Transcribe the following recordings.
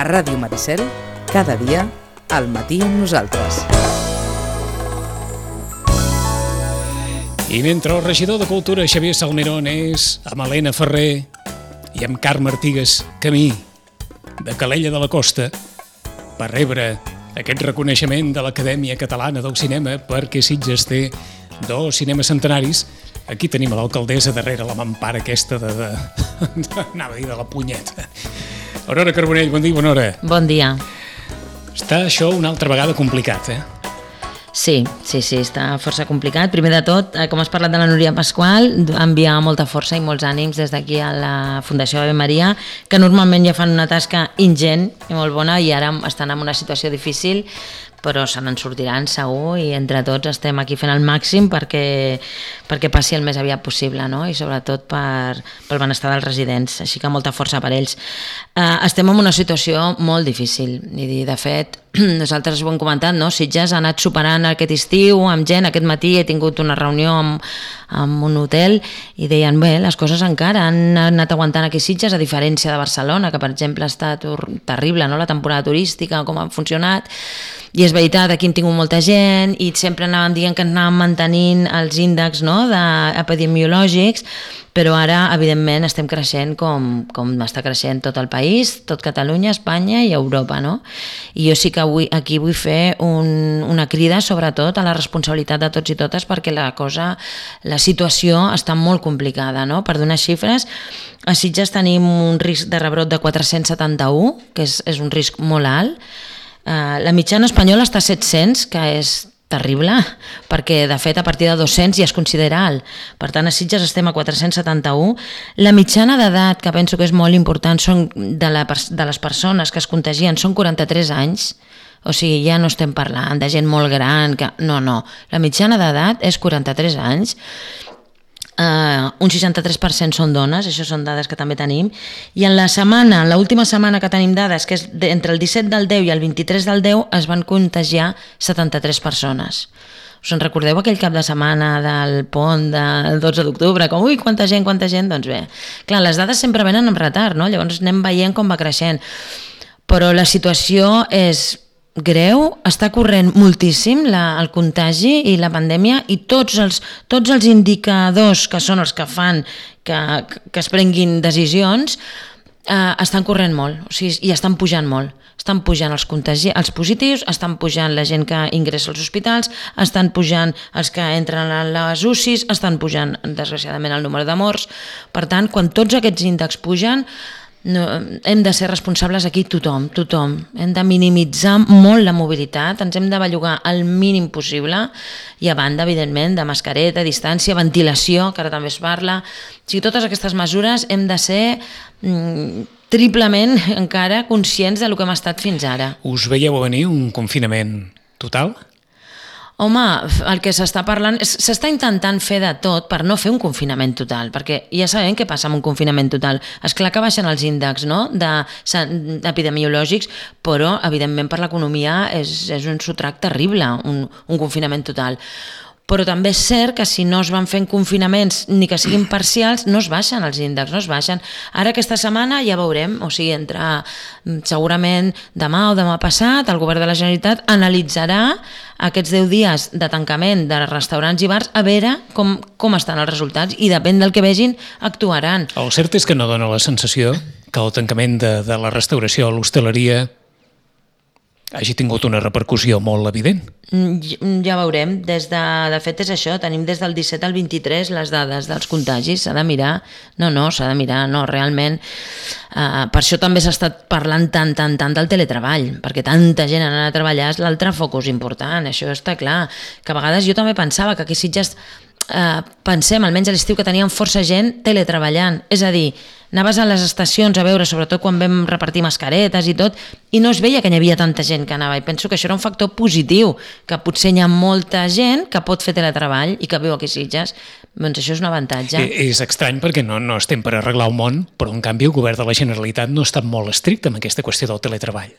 Ràdio Maricel, cada dia, al matí amb nosaltres. I mentre el regidor de Cultura Xavier Salmerón és amb Helena Ferrer i amb Carme Artigas camí de Calella de la Costa per rebre aquest reconeixement de l'Acadèmia Catalana del Cinema perquè Sitges té 2 cinemes centenaris, aquí tenim a l'alcaldessa darrere la mampara aquesta anava a dir de la punyeta. Aurora Carbonell, bon dia, bona hora. Bon dia. Està això una altra vegada complicat, Sí, està força complicat. Primer de tot, com has parlat de la Núria Pasqual, enviar molta força i molts ànims des d'aquí a la Fundació Ave Maria, que normalment ja fan una tasca ingent i molt bona i ara estan en una situació difícil, però se n'en sortiran segur i entre tots estem aquí fent el màxim perquè passi el més aviat possible, no? I sobretot pel benestar dels residents, així que molta força per ells. Estem en una situació molt difícil i de fet nosaltres ho hem comentat, no? Sitges ha anat superant aquest estiu amb gent. Aquest matí he tingut una reunió amb un hotel i deien, bé, les coses encara han anat aguantant aquí Sitges, a diferència de Barcelona, que per exemple ha estat terrible, no? La temporada turística, com ha funcionat. I és veritat, aquí hem tingut molta gent i sempre anàvem dient que anàvem mantenint els índexs, no? Epidemiològics, però ara, evidentment, estem creixent com està creixent tot el país, tot Catalunya, Espanya i Europa, no? I jo sí que aquí vull fer una crida, sobretot, a la responsabilitat de tots i totes, perquè la situació està molt complicada, no? Per donar xifres, a Sitges tenim un risc de rebrot de 471, que és un risc molt alt. La mitjana espanyola està a 700, que és terrible, perquè de fet a partir de 200 ja es considera alt. Per tant, a Sitges estem a 471. La mitjana d'edat, que penso que és molt important, són de les persones que es contagien, són 43 anys. O sigui, ja no estem parlant de gent molt gran. No. La mitjana d'edat és 43 anys. Un 63% són dones, això són dades que també tenim, i en l'última setmana que tenim dades, que és entre el 17 del 10 i el 23 del 10, es van contagiar 73 persones. Us en recordeu aquell cap de setmana del pont del 12 d'octubre? Com, ui, quanta gent? Doncs bé, clar, les dades sempre venen amb retard, no? Llavors anem veient com va creixent, però la situació és greu, està corrent moltíssim el contagi i la pandèmia i tots els indicadors que són els que fan que es prenguin decisions estan corrent molt, o sigui, i estan pujant molt. Estan pujant els positius, estan pujant la gent que ingressa als hospitals, estan pujant els que entren a les UCIs, estan pujant, desgraciadament, el número de morts. Per tant, quan tots aquests índexs pugen, hem de ser responsables aquí tothom. Hem de minimitzar molt la mobilitat, ens hem de bellugar el mínim possible i a banda, evidentment, de mascareta, distància, ventilació, que ara també es parla. O sigui, totes aquestes mesures hem de ser triplement encara conscients del que hem estat fins ara. Us veieu a venir un confinament total? Home, el que s'està parlant, s'està intentant fer de tot per no fer un confinament total, perquè ja sabem què passa amb un confinament total. És clar que baixen els índexs, no? Epidemiològics, però evidentment per l'economia és un sotrac terrible, un confinament total. Però també és cert que si no es van fent confinaments ni que siguin parcials, no es baixen els índexs, no es baixen. Ara aquesta setmana ja veurem, o sigui, segurament demà o demà passat, el govern de la Generalitat analitzarà aquests 10 dies de tancament de restaurants i bars a veure com estan els resultats i depèn del que vegin actuaran. El cert és que no dona la sensació que el tancament de la restauració a l'hostaleria hagi tingut una repercussió molt evident. Ja veurem. De fet és això, tenim des del 17 al 23 les dades dels contagis, s'ha de mirar. S'ha de mirar, realment. Per això també s'ha estat parlant tant del teletreball, perquè tanta gent anar a treballar és l'altre focus important, això està clar. Que a vegades jo també pensava que aquí Sitges pensem, almenys a l'estiu, que teníem força gent teletreballant, és a dir, anaves a les estacions a veure, sobretot quan vam repartir mascaretes i tot, i no es veia que hi havia tanta gent que anava, i penso que això era un factor positiu, que potser hi ha molta gent que pot fer teletreball i que viu aquí a Sitges, doncs això és un avantatge. És estrany perquè no estem per arreglar el món, però en canvi el govern de la Generalitat no està molt estricte amb aquesta qüestió del teletreball.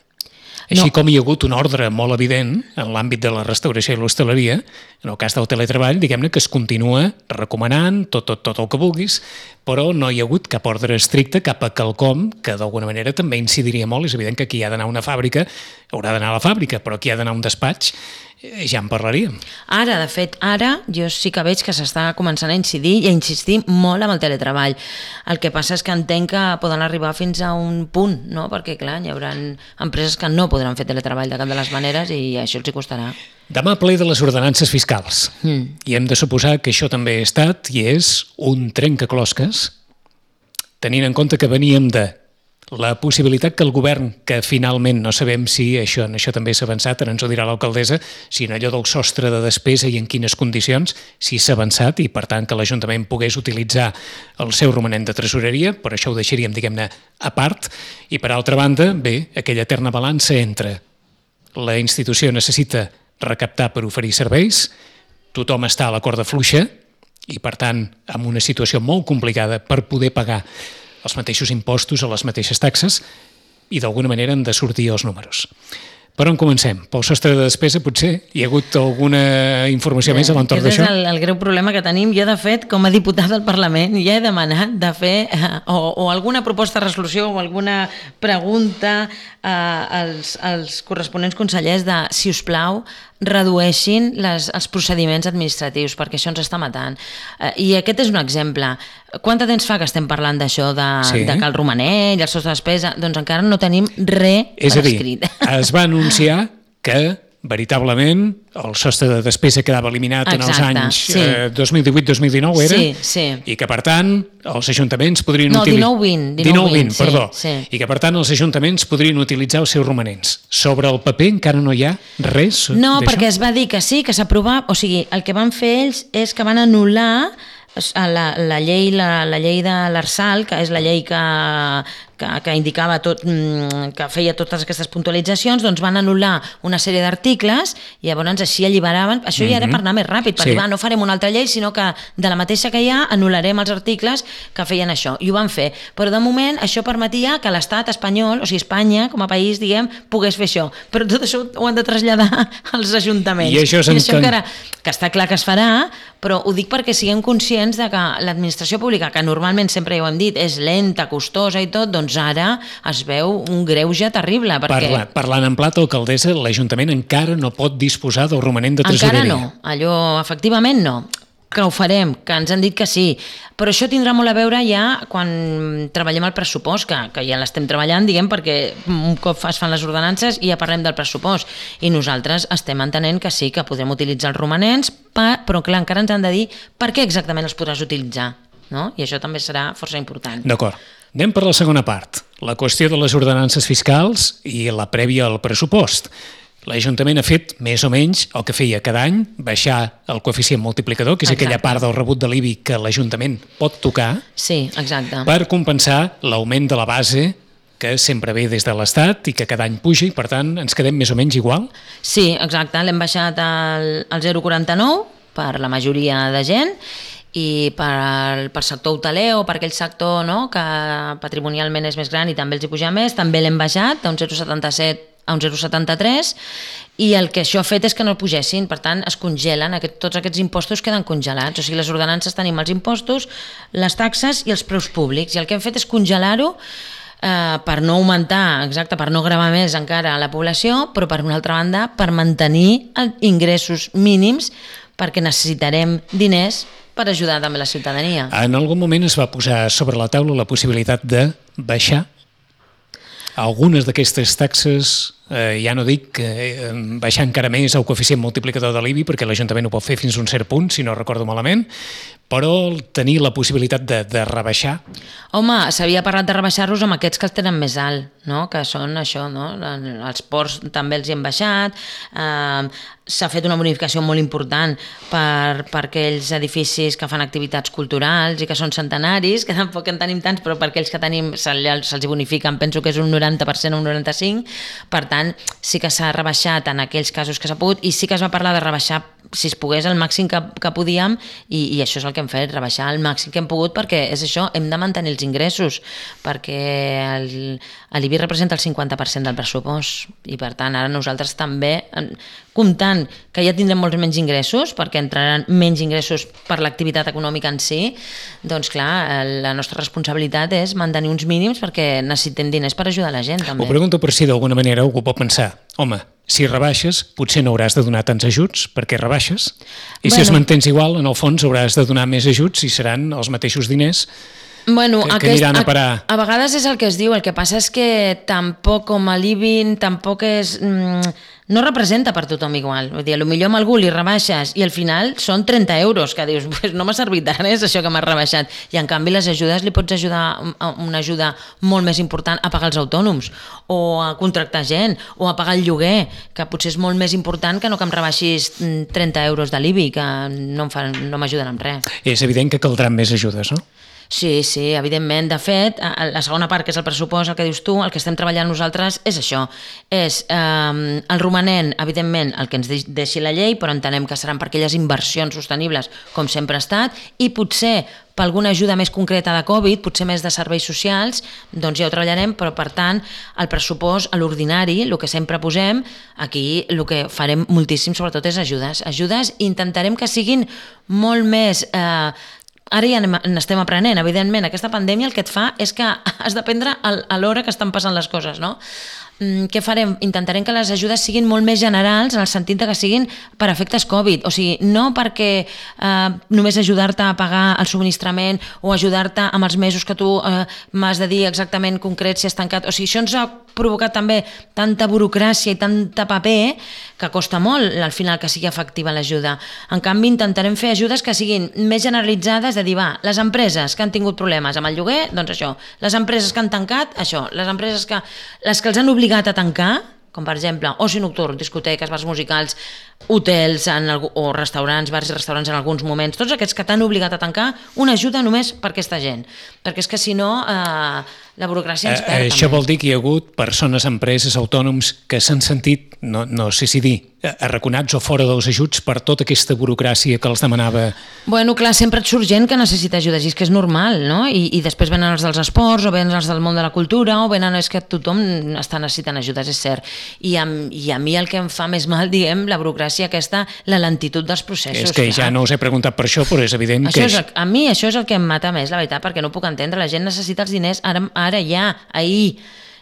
Així com hi ha hagut un ordre molt evident en l'àmbit de la restauració i l'hostaleria, en el cas del teletreball, diguem-ne que es continua recomanant tot el que vulguis, però no hi ha hagut cap ordre estricte, cap a quelcom que d'alguna manera també incidiria molt. És evident que qui ha d'anar a una fàbrica haurà d'anar a la fàbrica, però qui ha d'anar a un despatx ja en parlaríem. Ara, de fet, jo sí que veig que s'està començant a incidir i a insistir molt amb el teletreball. El que passa és que entenc que poden arribar fins a un punt, no? Perquè, clar, hi haurà empreses que no podran fer teletreball de cap de les maneres i això els hi costarà. Demà ple de les ordenances fiscals. I hem de suposar que això també ha estat i és un trencaclosques, tenint en compte que veníem de la possibilitat que el govern, que finalment no sabem si això també s'ha avançat, ara ens ho dirà l'alcaldessa, si en allò del sostre de despesa i en quines condicions, si s'ha avançat i per tant que l'Ajuntament pogués utilitzar el seu romanent de tresoreria, per això ho deixaríem, diguem-ne, a part, i per altra banda, bé, aquella eterna balança entre la institució necessita recaptar per oferir serveis, tothom està a la corda fluixa i per tant amb una situació molt complicada per poder pagar els mateixos impostos o les mateixes taxes i d'alguna manera han de sortir els números. Per on comencem? Pel sostre de despesa, potser? Hi ha hagut alguna informació més a l'entorn d'això? Aquest és el greu problema que tenim. Jo, de fet, com a diputat del Parlament, ja he demanat de fer o alguna proposta de resolució o alguna pregunta als corresponents consellers de, si us plau, redueixin els procediments administratius, perquè això ens està matant. I aquest és un exemple. Quant de temps fa que estem parlant d'això, de que el romanent i el sostre de despesa, doncs encara no tenim res per escrit. Es va anunciar que veritablement el sostre de despesa quedava eliminat en els anys 2018-2019, era? Sí. I que, per tant, els ajuntaments podrien utilitzar... 19-20, perdó. I que, per tant, els ajuntaments podrien utilitzar els seus romanents. Sobre el paper encara no hi ha res d'això? No, perquè es va dir que sí, que s'aprovava... O sigui, el que van fer ells és que van anul·lar la llei de l'Arsal, que és la llei que indicava tot, que feia totes aquestes puntualitzacions, doncs van anul·lar una sèrie d'articles i llavors així alliberaven, això ja era per anar més ràpid, per dir, no farem una altra llei, sinó que de la mateixa que hi ha anul·larem els articles que feien això, i ho van fer, però de moment això permetia que l'estat espanyol, o sigui Espanya com a país, diguem, pogués fer això, però tot això ho han de traslladar als ajuntaments, i això encara, que està clar que es farà, però ho dic perquè siguem conscients de que l'administració pública, que normalment sempre ja ho hem dit, és lenta, costosa i tot, doncs ara es veu un greuge terrible. Perquè... Parlant en plat, alcaldessa, l'Ajuntament encara no pot disposar del romanent de tresoreria. Encara no, allò efectivament no, que ho farem, que ens han dit que sí, però això tindrà molt a veure ja quan treballem el pressupost, que ja l'estem treballant, diguem, perquè un cop es fan les ordenances i ja parlem del pressupost, i nosaltres estem entenent que sí, que podrem utilitzar els romanents, però clar, encara ens han de dir per què exactament els podràs utilitzar, no? I això també serà força important. D'acord. Anem per la segona part, la qüestió de les ordenances fiscals i la prèvia al pressupost. L'Ajuntament ha fet més o menys el que feia cada any, baixar el coeficient multiplicador, que és aquella part del rebut de l'IBI que l'Ajuntament pot tocar, per compensar l'augment de la base que sempre ve des de l'Estat i que cada any puja i, per tant, ens quedem més o menys igual? Sí, exacte. L'hem baixat al 0,49 per la majoria de gent i per sector hoteler o per aquell sector, no, que patrimonialment és més gran i també els hi puja més, també l'hem baixat d'un 0,77 a un 0,73 i el que això ha fet és que no el pugessin, per tant es congelen, tots aquests impostos queden congelats, o sigui les ordenances tenim els impostos, les taxes i els preus públics i el que hem fet és congelar-ho per no augmentar, exacte, per no gravar més encara a la població, però per una altra banda per mantenir ingressos mínims perquè necessitarem diners per ajudar també la ciutadania. En algun moment es va posar sobre la taula la possibilitat de baixar algunes d'aquestes taxes, ja no dic baixar encara més el coeficient multiplicador de l'IBI, perquè l'Ajuntament ho pot fer fins a un cert punt, si no recordo malament, però tenir la possibilitat de rebaixar. Home, s'havia parlat de rebaixar-los amb aquests que els tenen més alt, no? Que són això, no? Els ports també els hi hem baixat, s'ha fet una bonificació molt important per aquells edificis que fan activitats culturals i que són centenaris, que tampoc en tenim tants, però per aquells que tenim se'ls bonifiquen, penso que és un 90% o un 95%, per tant, sí que s'ha rebaixat en aquells casos que s'ha pogut i sí que es va parlar de rebaixar si es pogués el màxim que podíem, i això és el que hem fet, rebaixar el màxim que hem pogut, perquè és això, hem de mantenir els ingressos, perquè l'IBI representa el 50% del pressupost, i per tant ara nosaltres també, comptant que ja tindrem molts menys ingressos, perquè entraran menys ingressos per l'activitat econòmica en si, doncs clar, la nostra responsabilitat és mantenir uns mínims perquè necessitem diners per ajudar la gent també. Ho pregunto per si d'alguna manera algú pot pensar, home, si rebaixes potser no hauràs de donar tants ajuts perquè rebaixes, i si es mantens igual, en el fons hauràs de donar més ajuts i seran els mateixos diners que aniran a parar. A vegades és el que es diu, el que passa és que tampoc com a l'IBI tampoc és... no representa per tothom igual. Vull dir, potser amb algú li rebaixes i al final són 30 euros, que dius, pues no m'ha servit de res això que m'has rebaixat. I en canvi les ajudes li pots ajudar una ajuda molt més important a pagar els autònoms, o a contractar gent, o a pagar el lloguer, que potser és molt més important que no que em rebaixis 30 euros de l'IBI, que no m'ajuden amb res. És evident que caldran més ajudes, no? Sí, evidentment. De fet, la segona part, que és el pressupost, el que dius tu, el que estem treballant nosaltres és això. És el romanent, evidentment, el que ens deixi la llei, però entenem que seran per aquelles inversions sostenibles, com sempre ha estat, i potser per alguna ajuda més concreta de Covid, potser més de serveis socials, doncs ja ho treballarem, però per tant, el pressupost, a l'ordinari, el que sempre posem, aquí el que farem moltíssim, sobretot, és ajudes, i intentarem que siguin molt més... Ara ja n'estem aprenent, evidentment. Aquesta pandèmia el que et fa és que has d'aprendre a l'hora que estan passant les coses, no? Què farem? Intentarem que les ajudes siguin molt més generals, en el sentit que siguin per efectes Covid, o sigui, no perquè només ajudar-te a pagar el subministrament o ajudar-te amb els mesos que tu m'has de dir exactament concret si has tancat, o sigui, això ens ha provocat també tanta burocràcia i tanta paper que costa molt al final que sigui efectiva l'ajuda. En canvi, intentarem fer ajudes que siguin més generalitzades, de dir, les empreses que han tingut problemes amb el lloguer, doncs això, les empreses que han tancat, això, les empreses que els han obligat a tancar, com per exemple oci nocturn, discoteques, bars musicals, hotels o restaurants, bars i restaurants en alguns moments, tots aquests que t'han obligat a tancar, una ajuda només per aquesta gent, perquè és que si no la burocràcia ens perd. Això vol dir que hi ha hagut persones, empreses, autònoms que s'han sentit, no sé si dir, arraconats o fora dels ajuts per tota aquesta burocràcia que els demanava. Bueno, clar, sempre et surt gent que necessita ajudes i és que és normal, no? I després venen els dels esports o venen els del món de la cultura o venen, és que tothom està necessitant ajudes, és cert. I a mi el que em fa més mal, diguem, la burocràcia aquesta, la lentitud dels processos. És que ja no us he preguntat per això, però és evident que... A mi això és el que em mata més, la veritat, perquè no puc entendre. La gent necessita els diners ara ja, ahir.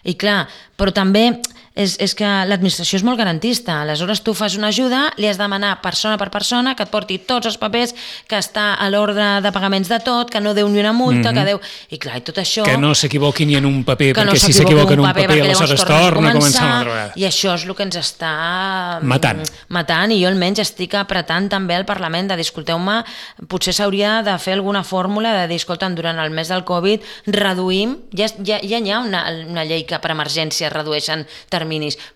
I clar, però també és que l'administració és molt garantista. Aleshores tu fas una ajuda, li has de demanar persona per persona que et porti tots els papers, que està a l'ordre de pagaments de tot, que no deu ni una multa, que deu... I clar, i tot això... Que no s'equivoqui ni en un paper, perquè si s'equivoca en un paper aleshores torna a començar una altra vegada. I això és el que ens està matant, i jo almenys estic apretant també al Parlament de dir, escolteu-me, potser s'hauria de fer alguna fórmula de dir, escolta'm, durant el mes del Covid reduïm, ja hi ha una llei que per emergència redueixen terminis,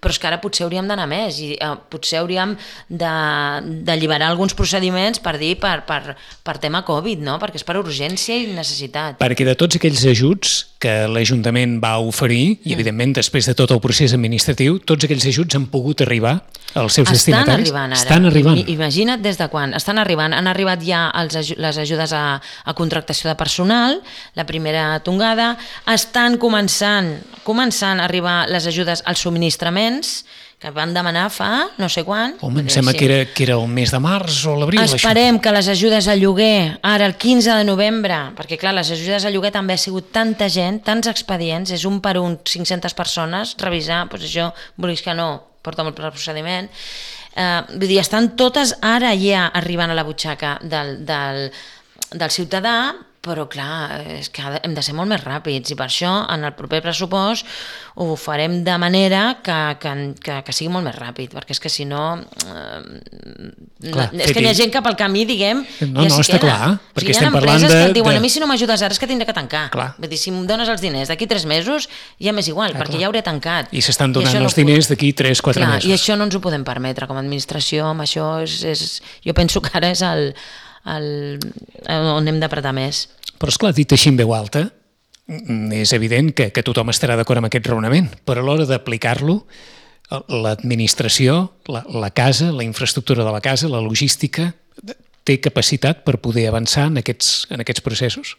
però és que ara potser hauríem d'anar més i potser hauríem d'alliberar alguns procediments per dir per tema Covid, no? Perquè és per urgència i necessitat. Perquè de tots aquells ajuts que l'Ajuntament va oferir, i evidentment després de tot el procés administratiu, tots aquells ajuts han pogut arribar als seus destinataris? Estan arribant ara. Imagina't des de quan. Estan arribant. Han arribat ja les ajudes a contractació de personal, la primera tongada. Estan començant a arribar les ajudes als subministraments, que van demanar fa no sé quan. Home, em sembla que era el mes de març o l'abril. Esperem que les ajudes al lloguer, ara el 15 de novembre, perquè clar, les ajudes al lloguer també ha sigut tanta gent, tants expedients, és un per un, 500 persones, revisar, doncs això, vulguis que no, porta molt per al procediment. Vull dir, estan totes ara ja arribant a la butxaca del ciutadà, però clar, és que hem de ser molt més ràpids i per això en el proper pressupost ho farem de manera que sigui molt més ràpid, perquè és que si no és que hi ha gent que pel camí, diguem, no, està clar, perquè estem parlant de... que et diuen, a mi si no m'ajudes ara és que tindré que tancar. Vull dir, si em dones els diners d'aquí 3 mesos ja m'és igual, perquè ja hauré tancat. I s'estan donant els diners d'aquí 3-4 mesos. I això no ens ho podem permetre com a administració, amb això jo penso que ara és on hem d'apretar més. Però esclar, dit així en veu alta, és evident que tothom estarà d'acord amb aquest raonament, però a l'hora d'aplicar-lo, l'administració, la casa, la infraestructura de la casa, la logística, té capacitat per poder avançar en aquests processos?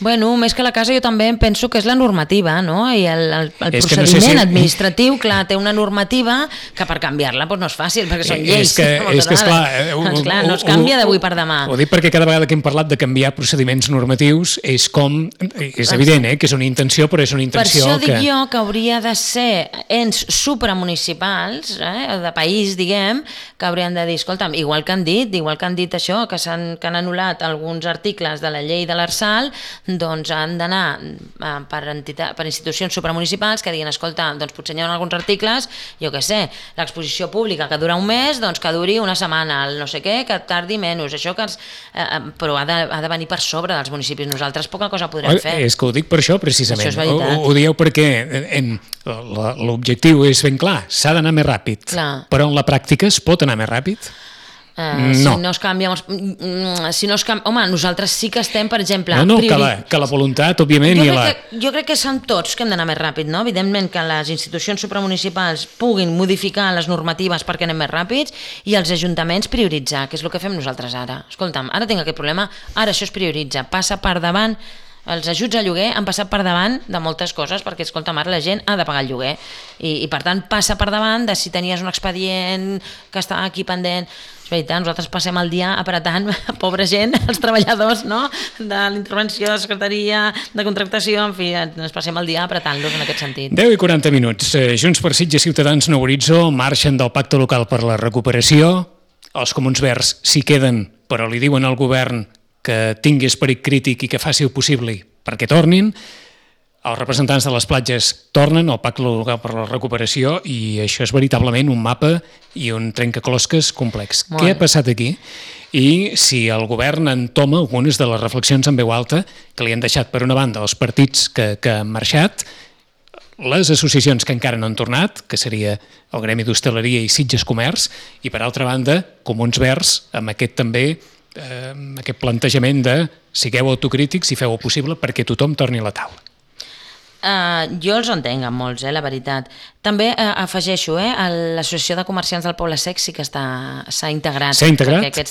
Bueno, més que la casa jo també penso que és la normativa, no? I el procediment administratiu, clar, té una normativa que per canviar-la no és fàcil, perquè són lleis. Esclar, no es canvia d'avui per demà. Ho dic perquè cada vegada que hem parlat de canviar procediments normatius és evident que és una intenció, però és una intenció que... Per això dic jo que hauria de ser ens supramunicipals, de país, diguem, que haurien de dir, escolta'm, igual que han dit això, que han anul·lat alguns articles de la llei de l'Arsal, doncs han d'anar per institucions supramunicipals que diguin, escolta, doncs potser hi ha alguns articles, jo què sé, l'exposició pública que dura un mes, doncs que duri una setmana, el no sé què, que tardi menys, això que però ha de venir per sobre dels municipis. Nosaltres poca cosa podrem fer. És que ho dic per això, precisament. Això és veritat. Ho dieu perquè l'objectiu és ben clar, s'ha d'anar més ràpid, però en la pràctica es pot anar més ràpid? No. Home, nosaltres sí que estem, per exemple... Que la voluntat, òbviament... Jo crec que som tots que hem d'anar més ràpid, no? Evidentment que les institucions supramunicipals puguin modificar les normatives perquè anem més ràpids i els ajuntaments prioritzar, que és el que fem nosaltres ara. Escolta'm, ara tinc aquest problema, ara això es prioritza, passa per davant. Els ajuts a lloguer han passat per davant de moltes coses perquè, escolta'm, ara la gent ha de pagar el lloguer i per tant passa per davant de si tenies un expedient que està aquí pendent. És veritat, nosaltres passem el dia apretant, pobra gent, els treballadors, no?, de l'intervenció, de secretaria, de contractació, en fi, ens passem el dia apretant-los en aquest sentit. 10 i 40 minuts. Junts per Sitges, Ciutadans, Nou Horitzó marxen del Pacte Local per la Recuperació. Els Comuns Verds s'hi queden, però li diuen al govern que tingui esperit crític i que faci el possible perquè tornin. Els representants de les platges tornen al Pacte Local per la Recuperació i això és veritablement un mapa i un trencaclosques complex. Què ha passat aquí? I si el govern entoma algunes de les reflexions en veu alta que li han deixat, per una banda, els partits que han marxat, les associacions que encara no han tornat, que seria el Gremi d'Hostaleria i Sitges Comerç, i per altra banda, Comuns Verds, amb aquest també aquest plantejament de sigueu autocrítics i feu el possible perquè tothom torni a la taula. Jo els entenc amb molts, la veritat. També afegeixo, l'Associació de Comerciants del Poble Sec sí que s'ha integrat. S'ha integrat? Perquè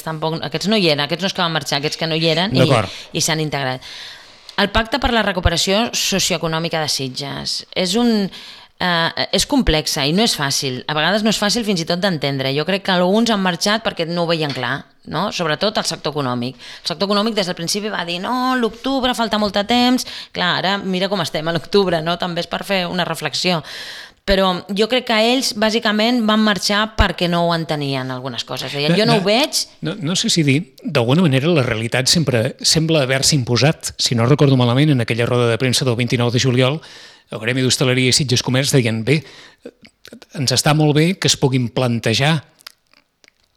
aquests no hi eren, aquests no és que van marxar, aquests que no hi eren i s'han integrat. El Pacte per la Recuperació Socioeconòmica de Sitges és complexa i no és fàcil. A vegades no és fàcil fins i tot d'entendre. Jo crec que alguns han marxat perquè no ho veien clar, no? Sobretot el sector econòmic. El sector econòmic des del principi va dir no, l'octubre falta molt de temps. Clar, ara mira com estem a l'octubre, no? També és per fer una reflexió. Però jo crec que ells bàsicament van marxar perquè no ho entenien algunes coses. Jo no ho veig... No sé si dir, d'alguna manera la realitat sempre sembla haver-se imposat. Si no recordo malament, en aquella roda de premsa del 29 de juliol, el Gremi d'Hostaleria i Sitges Comerç deien bé, ens està molt bé que es puguin plantejar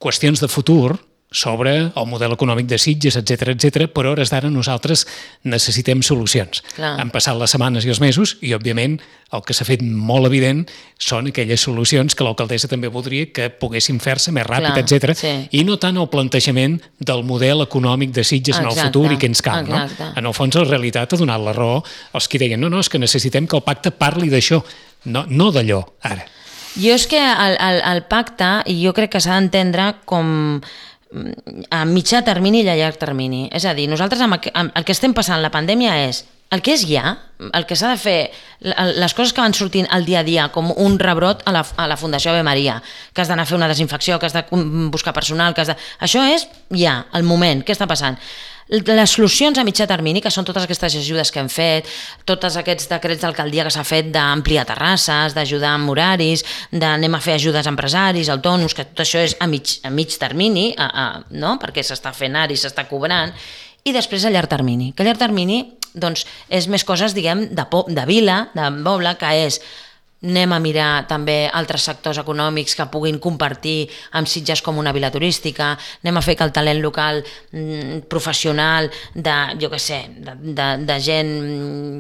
qüestions de futur sobre el model econòmic de Sitges, etc, però a hores d'ara nosaltres necessitem solucions. Clar. Han passat les setmanes i els mesos i, òbviament, el que s'ha fet molt evident són aquelles solucions que l'alcaldessa també voldria que poguessin fer-se més ràpid, etc. Sí. I no tant el plantejament del model econòmic de Sitges en el futur i què ens cal. No? En el fons, la realitat ha donat la raó als que deien no, és que necessitem que el pacte parli d'això, no d'allò, ara. Jo és que el pacte, jo crec que s'ha d'entendre com a mitjà termini i a llarg termini. És a dir, nosaltres el que estem passant la pandèmia és el que és ja, el que s'ha de fer, les coses que van sortint al dia a dia, com un rebrot a la Fundació Ave Maria, que has d'anar a fer una desinfecció, que has de buscar personal, això és ja, el moment, què està passant? Les solucions a mitjà termini, que són totes aquestes ajudes que hem fet, tots aquests decrets d'alcaldia que s'ha fet d'ampliar terrasses, d'ajudar amb horaris, d'anem a fer ajudes a empresaris, autònoms, que tot això és a mig termini, no? Perquè s'està fent ara i s'està cobrant, i després a llarg termini. Que a llarg termini doncs, és més coses, diguem, de vila, de poble, que és anem a mirar també altres sectors econòmics que puguin compartir amb Sitges com una vila turística, anem a fer que el talent local professional de, jo què sé, de gent,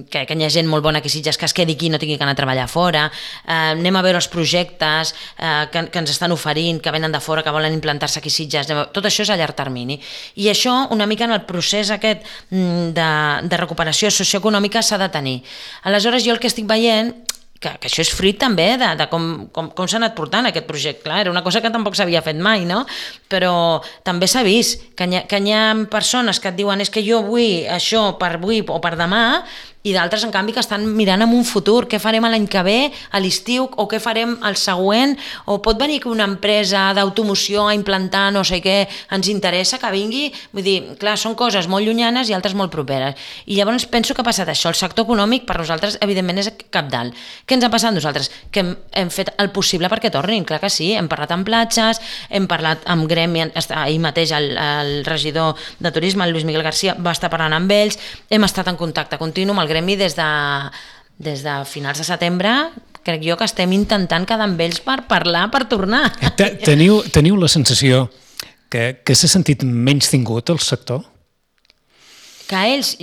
que hi ha gent molt bona aquí a Sitges que es quedi aquí i no tingui que anar a treballar fora, anem a veure els projectes que ens estan oferint, que venen de fora, que volen implantar-se aquí a Sitges, tot això és a llarg termini. I això una mica en el procés aquest de recuperació socioeconòmica s'ha de tenir. Aleshores jo el que estic veient que això és fruit també de com s'ha anat portant aquest projecte. Clar, era una cosa que tampoc s'havia fet mai, no? Però també s'ha vist que hi ha persones que et diuen és que jo vull això per avui o per demà, i d'altres, en canvi, que estan mirant en un futur, què farem l'any que ve, a l'estiu, o què farem el següent, o pot venir que una empresa d'automoció a implantar no sé què, ens interessa que vingui, vull dir, clar, són coses molt llunyanes i altres molt properes. I llavors penso que ha passat això, el sector econòmic per nosaltres, evidentment, és cabdal. Què ens ha passat nosaltres? Que hem fet el possible perquè tornin, clar que sí, hem parlat amb platges, hem parlat amb gremi, ahir mateix el regidor de turisme, el Lluís Miguel García, va estar parlant amb ells, hem estat en contacte continu amb el gremi des de finals de setembre, crec jo que estem intentant quedar amb ells per parlar, per tornar. Teniu la sensació que s'ha sentit menys tingut el sector? Que ells,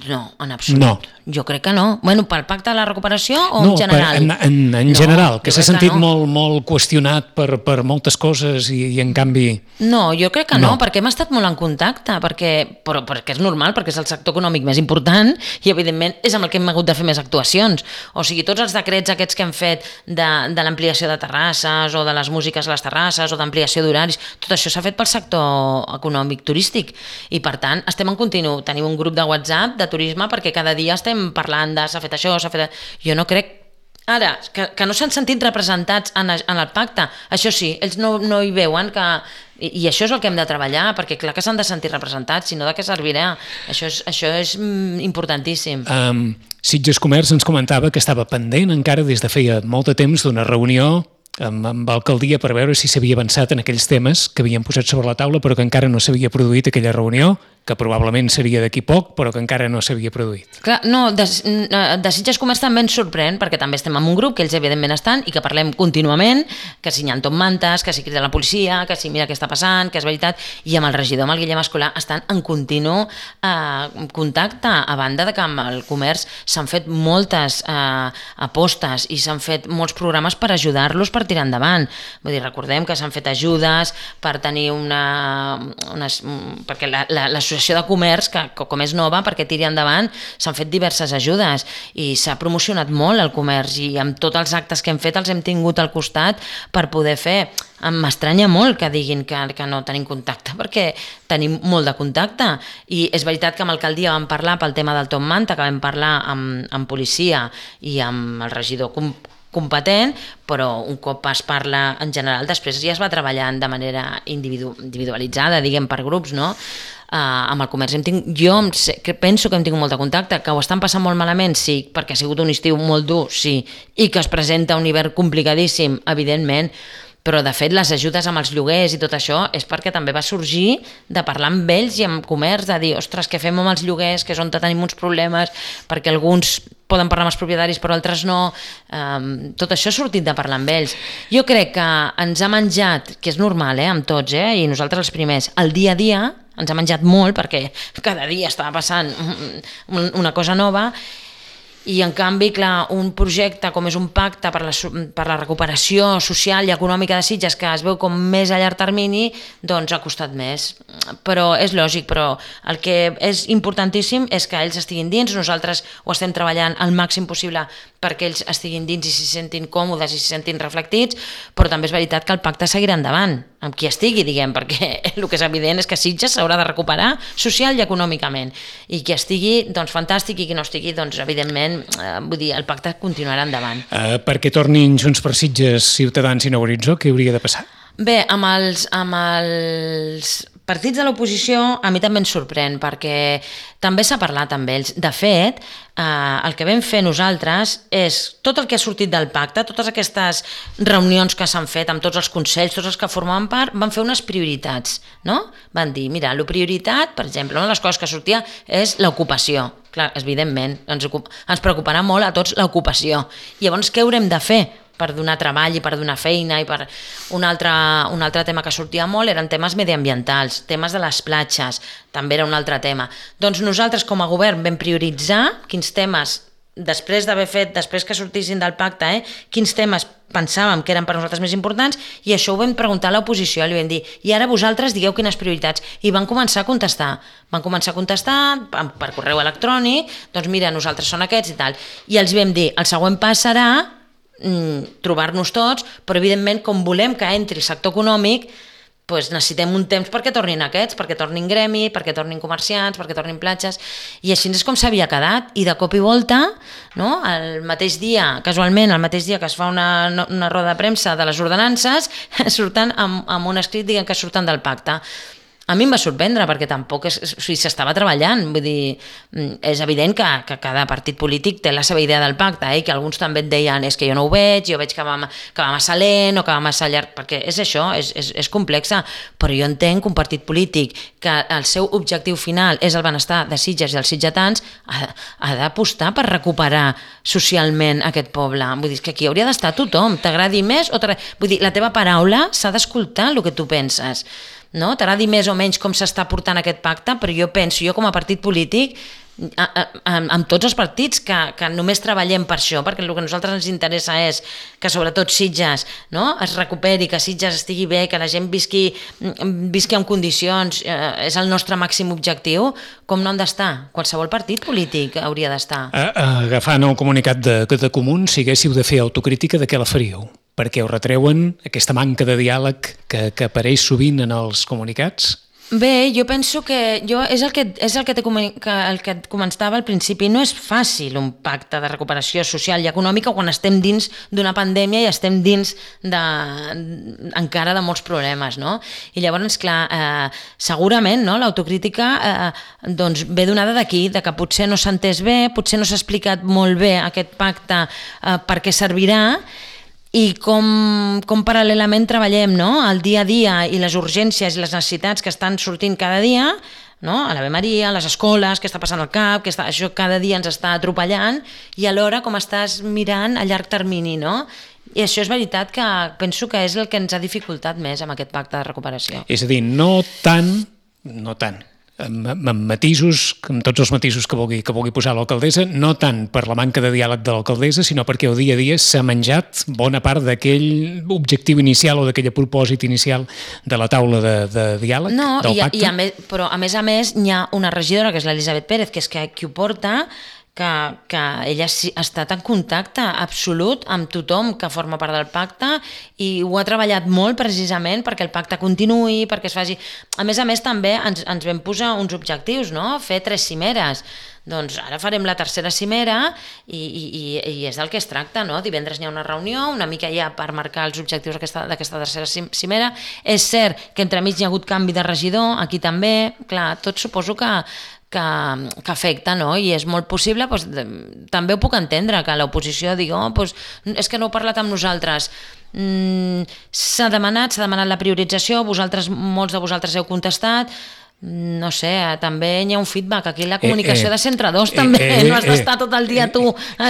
no, en absolut. No. Jo crec que no. Bueno, pel pacte de la recuperació o en general? En general, que s'ha sentit molt qüestionat per moltes coses i en canvi... No, jo crec que no, perquè hem estat molt en contacte, però perquè és normal, perquè és el sector econòmic més important i evidentment és amb el que hem hagut de fer més actuacions. O sigui, tots els decrets aquests que hem fet de l'ampliació de terrasses o de les músiques a les terrasses o d'ampliació d'horaris, tot això s'ha fet pel sector econòmic turístic i per tant estem en continu. Tenim un grup de WhatsApp de turisme perquè cada dia estem parlant de s'ha fet això, s'ha fet... Jo no crec ara que no s'han sentit representats en el pacte, això sí, ells no hi veuen que... I això és el que hem de treballar, perquè clar que s'han de sentir representats, si no de què servirà? Això és importantíssim. Sitges Comerç ens comentava que estava pendent encara des de feia molt de temps d'una reunió amb l'alcaldia per veure si s'havia avançat en aquells temes que havien posat sobre la taula però que encara no s'havia produït aquella reunió, que probablement seria d'aquí poc, però que encara no s'havia produït. Clar, no, de Sitges Comerç també ens sorprèn, perquè també estem en un grup que ells evidentment estan i que parlem contínuament, que si hi ha tot mantes, que si crida la policia, que si mira què està passant, que és veritat, i amb el regidor, amb el Guillem Escolà, estan en continu contacte, a banda de que amb el comerç s'han fet moltes apostes i s'han fet molts programes per ajudar-los per tirar endavant. Vull dir, recordem que s'han fet ajudes per tenir perquè l'associació de comerç, que com és nova, perquè tiri endavant, s'han fet diverses ajudes i s'ha promocionat molt el comerç i amb tots els actes que hem fet els hem tingut al costat per poder fer. M'estranya molt que diguin que no tenim contacte, perquè tenim molt de contacte i és veritat que amb l'alcaldia vam parlar pel tema del Top Manta, que vam parlar amb policia i amb el regidor competent, però un cop es parla en general, després ja es va treballant de manera individualitzada, diguem, per grups, no? Amb el comerç penso que hem tingut molt de contacte, que ho estan passant molt malament, sí, perquè ha sigut un estiu molt dur, sí, i que es presenta un hivern complicadíssim, evidentment, però de fet les ajudes amb els lloguers i tot això és perquè també va sorgir de parlar amb ells i amb comerç, de dir, ostres, què fem amb els lloguers, que és on tenim uns problemes, perquè alguns poden parlar amb els propietaris però altres no, tot això ha sortit de parlar amb ells. Jo crec que ens ha menjat, que és normal, amb tots, i nosaltres els primers, el dia a dia ens ha menjat molt perquè cada dia estava passant una cosa nova. I en canvi, clar, un projecte com és un pacte per la recuperació social i econòmica de Sitges, que es veu com més a llarg termini, doncs ha costat més. Però és lògic, però el que és importantíssim és que ells estiguin dins, nosaltres ho estem treballant al màxim possible perquè ells estiguin dins i s'hi sentin còmodes i s'hi sentin reflectits, però també és veritat que el pacte seguirà endavant, amb qui estigui, diguem, perquè el que és evident és que Sitges s'haurà de recuperar social i econòmicament, i qui estigui, doncs fantàstic, i qui no estigui, doncs evidentment, vull dir, el pacte continuarà endavant. Perquè tornin Junts per Sitges, Ciutadans i Nou Horitzó, què hauria de passar? Bé, amb els partits de l'oposició a mi també ens sorprèn, perquè també s'ha parlat amb ells. De fet, el que vam fer nosaltres és tot el que ha sortit del pacte, totes aquestes reunions que s'han fet amb tots els consells, tots els que formaven part, van fer unes prioritats, no? Van dir, mira, la prioritat, per exemple, una de les coses que sortia és l'ocupació. Clar, evidentment, ens preocuparà molt a tots l'ocupació. I llavors, què haurem de fer per donar treball i per donar feina? I per un altre tema que sortia molt eren temes mediambientals, temes de les platges, també era un altre tema. Doncs nosaltres com a govern vam prioritzar quins temes, després que sortissin del pacte, quins temes pensàvem que eren per nosaltres més importants, i això ho vam preguntar a l'oposició, li vam dir, i ara vosaltres digueu quines prioritats, i van començar a contestar per correu electrònic, doncs mira, nosaltres són aquests i tal, i els vam dir, el següent pas serà trobar-nos tots, però evidentment com volem que entri el sector econòmic, doncs necessitem un temps perquè tornin aquests, perquè tornin gremi, perquè tornin comerciants, perquè tornin platges, i així és com s'havia quedat, i de cop i volta, no? El mateix dia, casualment, el mateix dia que es fa una roda de premsa de les ordenances, surten amb un escrit dient que surten del pacte. A mi em va sorprendre perquè tampoc s'estava treballant, vull dir, és evident que cada partit polític té la seva idea del pacte, i que alguns també et deien és que jo no ho veig, jo veig que va massa lent o que va massa llarg, perquè és això, és complexa, però jo entenc que un partit polític que el seu objectiu final és el benestar de Sitges i els sitgetans ha d'apostar per recuperar socialment aquest poble, vull dir, que aquí hauria d'estar tothom, t'agradi més o vull dir, la teva paraula s'ha d'escoltar el que tu penses, no? T'agradi més o menys com s'està portant aquest pacte, però jo penso, jo com a partit polític, amb tots els partits que només treballem per això, perquè el que a nosaltres ens interessa és que sobretot Sitges, no? Es recuperi, que Sitges estigui bé, que la gent visqui en condicions, és el nostre màxim objectiu, com no han d'estar? Qualsevol partit polític hauria d'estar. Agafant el comunicat de Comuns, si haguéssiu de fer autocrítica, de què la faríeu? Perquè us retreuen aquesta manca de diàleg que apareix sovint en els comunicats? Bé, jo penso que és el que et comentava al principi. No és fàcil un pacte de recuperació social i econòmica quan estem dins d'una pandèmia i estem dins encara de molts problemes, no? I llavors, clar, segurament, no, l'autocrítica doncs ve donada d'aquí, de que potser no s'ha entès bé, potser no s'ha explicat molt bé aquest pacte per què servirà, i com paral·lelament treballem, no? El dia a dia i les urgències i les necessitats que estan sortint cada dia, no? A l'Ave Maria, a les escoles, què està passant al CAP, això cada dia ens està atropellant, i alhora com estàs mirant a llarg termini, no? I això és veritat que penso que és el que ens ha dificultat més amb aquest pacte de recuperació. És a dir, no tant, amb matisos, amb tots els matisos que vulgui posar l'alcaldessa, no tant per la manca de diàleg de l'alcaldessa, sinó perquè el dia a dia s'ha menjat bona part d'aquell objectiu inicial o d'aquell propòsit inicial de la taula de diàleg, del pacte. Però a més n'hi ha una regidora, que és l'Elisabet Pérez, que és qui ho porta, que ella ha estat en contacte absolut amb tothom que forma part del pacte i ho ha treballat molt precisament perquè el pacte continuï, perquè es faci... A més també ens vam posar uns objectius, no? Fer 3 cimeres. Doncs ara farem la tercera cimera i és del que es tracta, no? Divendres hi ha una reunió, una mica ja per marcar els objectius d'aquesta tercera cimera. És cert que entremig hi ha hagut canvi de regidor, aquí també, clar, tot suposo que afecta, no? I és molt possible, doncs, també ho puc entendre, que l'oposició digui, és que no heu parlat amb nosaltres. S'ha demanat la priorització, molts de vosaltres heu contestat, no sé, també hi ha un feedback, aquí la comunicació de Centre 2 també, no has d'estar tot el dia tu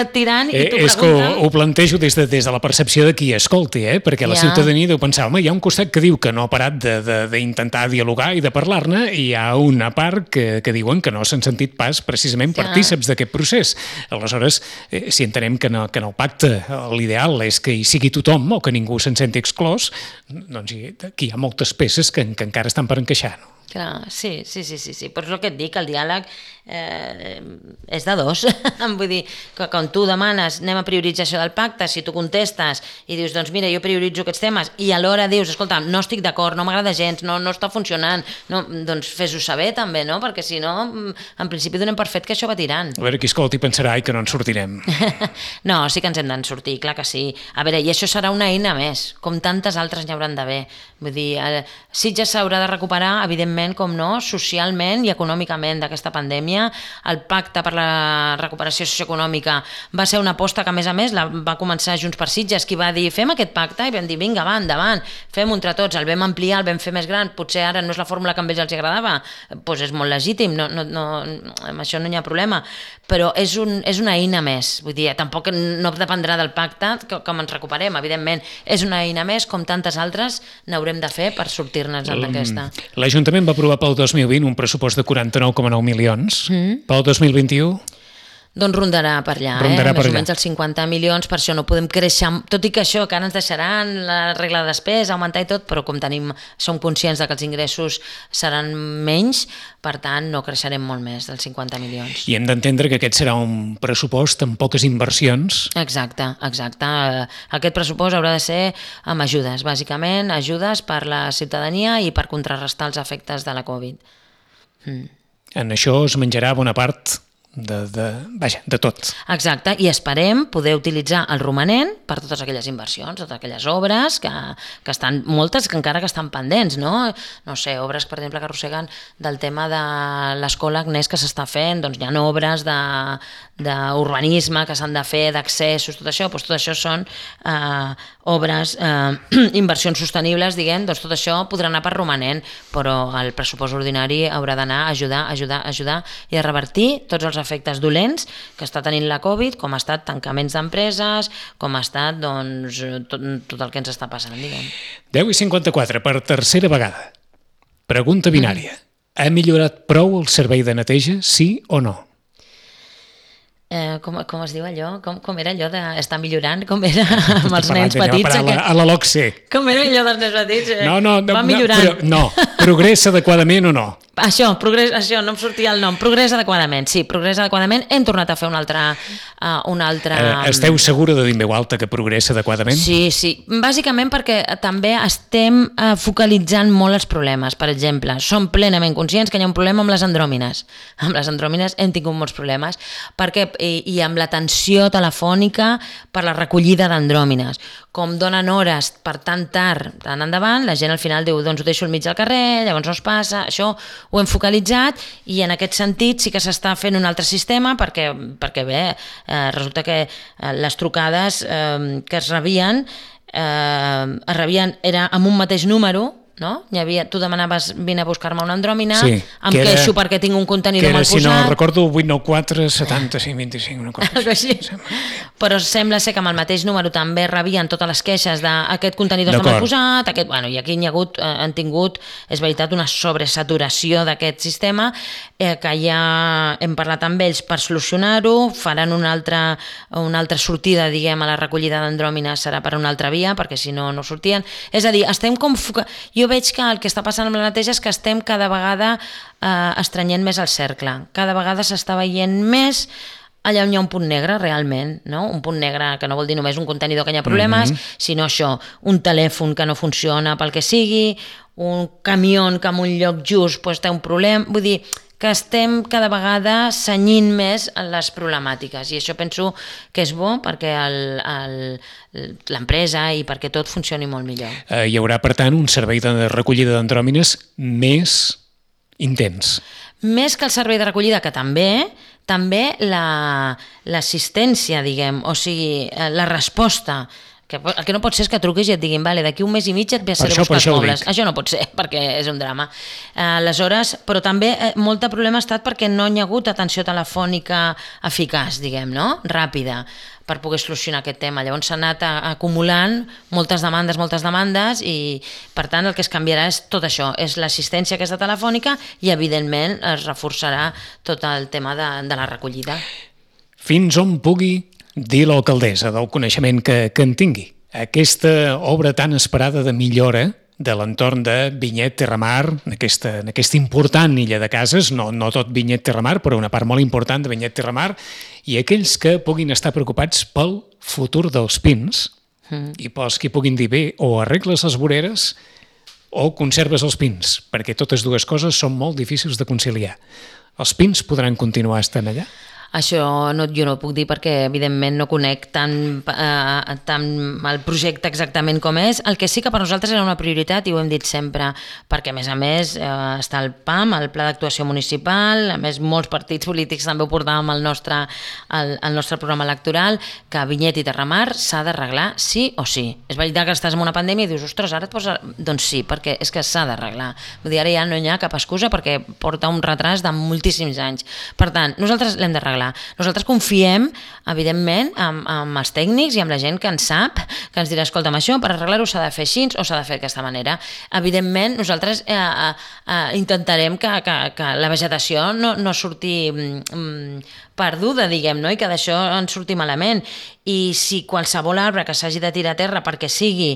tirant i tu preguntant. És que ho plantejo des de la percepció de qui escolti, perquè la ciutadania deu pensar, home, hi ha un costat que diu que no ha parat d'intentar dialogar i de parlar-ne, i hi ha una part que diuen que no s'han sentit pas precisament partíceps d'aquest procés. Aleshores, si entenem que en el pacte l'ideal és que hi sigui tothom o que ningú se'n senti exclòs, doncs aquí hi ha moltes peces que encara estan per encaixar, no? Clar, sí, però és el que et dic, el diàleg és de dos. Vull dir, que quan tu demanes anem a priorització del pacte, si tu contestes i dius, doncs mira, jo prioritzo aquests temes, i alhora dius, escolta, no estic d'acord, no m'agrada gens, no està funcionant, doncs fes-ho saber també, no? Perquè si no, en principi donem per fet que això va tirant. A veure, qui escolti pensarà que no en sortirem. No, sí que ens hem d'en sortir, clar que sí. A veure, i això serà una eina més, com tantes altres n'hi hauran d'haver. Vull dir, Sitges s'haurà de recuperar, evidentment, com no, socialment i econòmicament d'aquesta pandèmia. El pacte per la recuperació socioeconòmica va ser una aposta que, a més, va començar Junts per Sitges, qui va dir, fem aquest pacte, i vam dir, vinga, va, endavant, fem-ho entre tots, el vam ampliar, el vam fer més gran, potser ara no és la fórmula que a ells els agradava, doncs és molt legítim, amb això no hi ha problema, però és una eina més, vull dir, tampoc no dependrà del pacte com ens recuperem, evidentment, és una eina més, com tantes altres n'haurem de fer per sortir-nos d'aquesta. L'Ajuntament va aprovar pel 2020 un pressupost de 49,9 milions. Pel 2021? Doncs rondarà per allà, més o menys els 50 milions, per això no podem créixer, tot i que això, que ara ens deixaran la regla de despesa, augmentar i tot, però com som conscients de que els ingressos seran menys, per tant no creixerem molt més dels 50 milions. I hem d'entendre que aquest serà un pressupost amb poques inversions. Exacte. Aquest pressupost haurà de ser amb ajudes, bàsicament, ajudes per la ciutadania i per contrarrestar els efectes de la Covid. En això es menjarà bona part de tot. Exacte, i esperem poder utilitzar el romanent per totes aquelles inversions, totes aquelles obres que estan, moltes que encara que estan pendents, no? No sé, obres, per exemple, que arrosseguen del tema de l'escola Agnès que s'està fent, doncs hi ha obres d'urbanisme que s'han de fer, d'accessos, tot això són obres, inversions sostenibles, diguem, doncs tot això podrà anar per romanent, però el pressupost ordinari haurà d'anar a ajudar i a revertir tots els efectes dolents que està tenint la Covid, com ha estat tancaments d'empreses, com ha estat doncs, tot el que ens està passant, diguem. 10:54, per tercera vegada. Pregunta binària. Ha millorat prou el servei de neteja, sí o no? Com es diu allò? Com era allò d'estar millorant? Com era amb els nens petits? A la LOCSE. Com era allò dels nens petits? Va millorant. No, progressa adequadament o no? Això, no em sortia el nom. Progressa adequadament, sí, progressa adequadament. Hem tornat a fer un altre... Esteu segura de dir en veu alta que progressa adequadament? Sí. Bàsicament perquè també estem focalitzant molt els problemes. Per exemple, som plenament conscients que hi ha un problema amb les andròmines. Amb les andròmines hem tingut molts problemes i amb l'atenció telefònica per la recollida d'andròmines. Com donen hores per tan tard, tan endavant, la gent al final diu, doncs ho deixo al mig del carrer, llavors no es passa, això ho hem focalitzat i en aquest sentit sí que s'està fent un altre sistema perquè bé, resulta que les trucades que es rebien era amb un mateix número, no? Tu demanaves vine a buscar-me una andròmina, em queixo perquè tinc un contenidor mal posat. Si no recordo, 894 75 25, una cosa així. Però sembla ser que amb el mateix número també rebien totes les queixes d'aquest contenidor està mal posat, i aquí han tingut, és veritat, una sobresaturació d'aquest sistema que ja hem parlat amb ells per solucionar-ho, faran una altra sortida, diguem, a la recollida d'andròmines serà per una altra via, perquè si no, no sortien. És a dir, estem com... Jo veig que el que està passant amb la neteja és que estem cada vegada estrenyent més el cercle. Cada vegada s'està veient més allà on hi ha un punt negre, realment, no? Un punt negre que no vol dir només un contenidor que hi ha problemes, sinó això, un telèfon que no funciona pel que sigui, un camió que en un lloc just té un problema, vull dir que estem cada vegada cenyint més les problemàtiques i això penso que és bo perquè l'empresa i perquè tot funcioni molt millor. Hi haurà, per tant, un servei de recollida d'andròmines més intens. Més que el servei de recollida, que també l'assistència, diguem, o sigui, la resposta. El que no pot ser és que truquis i et diguin d'aquí un mes i mig et ve a ser a buscar els mobles. Això no pot ser, perquè és un drama. Aleshores, però també molt de problema ha estat perquè no hi ha hagut atenció telefònica eficaç, diguem, no? Ràpida, per poder solucionar aquest tema. Llavors s'ha anat acumulant moltes demandes i, per tant, el que es canviarà és tot això, és l'assistència aquesta telefònica i, evidentment, es reforçarà tot el tema de la recollida. Fins on pugui dir l'alcaldessa del coneixement que en tingui. Aquesta obra tan esperada de millora de l'entorn de Vinyet Terramar, en aquesta important illa de cases, no tot Vinyet Terramar, però una part molt important de Vinyet Terramar, i aquells que puguin estar preocupats pel futur dels pins, i pels que puguin dir bé, o arregles les voreres o conserves els pins, perquè totes dues coses són molt difícils de conciliar. Els pins podran continuar estant allà? Això jo no ho puc dir perquè evidentment no conec tant el projecte exactament com és. El que sí que per nosaltres era una prioritat i ho hem dit sempre, perquè a més està el PAM, el Pla d'Actuació Municipal, a més molts partits polítics també ho portàvem al nostre programa electoral, que Vinyet i Terramar s'ha d'arreglar sí o sí. És veritat que estàs en una pandèmia i dius, ostres, ara et posa... Doncs sí, perquè és que s'ha d'arreglar. Vull dir, ara ja no hi ha cap excusa perquè porta un retras de moltíssims anys. Per tant, nosaltres l'hem d'arreglar. arreglar. Nosaltres confiem, evidentment, amb els tècnics i amb la gent que en sap, que ens dirà, escolta'm, això per arreglar-ho s'ha de fer així o s'ha de fer d'aquesta manera. Evidentment, nosaltres intentarem que la vegetació no surti perduda, diguem, no? I que d'això en surti malament. I si qualsevol arbre que s'hagi de tirar a terra perquè sigui,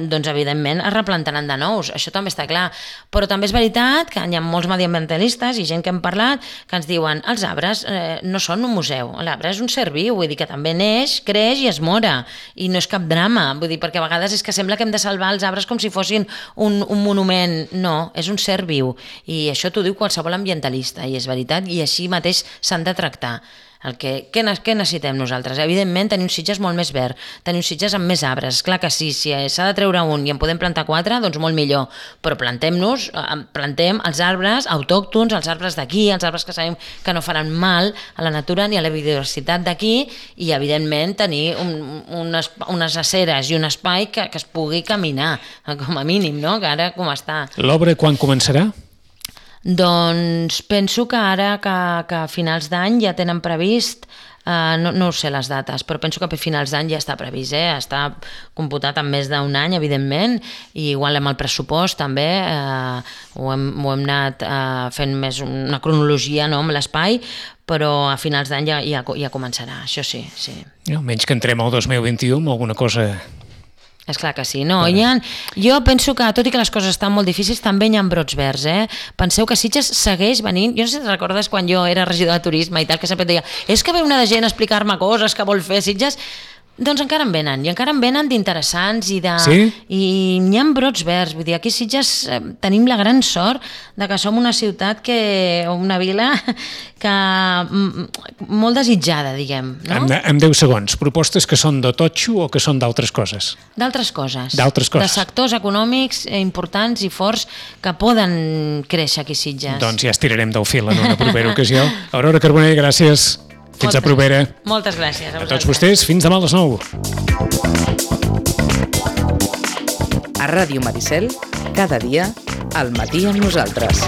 doncs evidentment es replantaran de nous, això també està clar. Però també és veritat que hi ha molts mediambientalistes i gent que hem parlat que ens diuen, els arbres no són un museu, l'arbre és un ser viu, vull dir que també neix, creix i es mora, i no és cap drama, vull dir, perquè a vegades és que sembla que hem de salvar els arbres com si fossin un monument. No, és un ser viu, i això t'ho diu qualsevol ambientalista, i és veritat, i així mateix s'han de tractar. Què necessitem nosaltres? Evidentment, tenir uns Sitges molt més verd, tenir uns Sitges amb més arbres. Clar que sí, si s'ha de treure un i en podem plantar 4, doncs molt millor. Però plantem els arbres autòctons, els arbres d'aquí, els arbres que sabem que no faran mal a la natura ni a la biodiversitat d'aquí, i evidentment tenir unes aceres i un espai que es pugui caminar, com a mínim, no? Que ara com està. L'obra quan començarà? Doncs penso que ara que a finals d'any ja tenen previst, no sé les dates, però penso que a finals d'any ja està previst, està computat en més d'un any, evidentment, i igual amb el pressupost també ho hem anat fent més una cronologia, no, amb l'espai, però a finals d'any ja començarà, això sí. Menys que entrem al 2021 amb alguna cosa... És clar que sí, no? Jo penso que, tot i que les coses estan molt difícils, també hi ha brots verds, Penseu que Sitges segueix venint, jo no sé si recordes quan jo era regidor de turisme i tal, que sempre deia, és que ve una de gent a explicar-me coses que vol fer Sitges. Doncs encara en venen d'interessants i n'hi ha brots verds, vull dir, aquí a Sitges tenim la gran sort de que som una ciutat o una vila que molt desitjada, diguem, no? En 10 segons, propostes que són de totxo o que són d'altres coses? D'altres coses. De sectors econòmics importants i forts que poden créixer aquí a Sitges. Doncs ja estirarem del fil en una propera ocasió. Aurora Carbonell, gràcies. Fins a propera. Moltes gràcies. A tots vostès, fins demà a les 9. A Ràdio Maricel, cada dia, al matí amb nosaltres.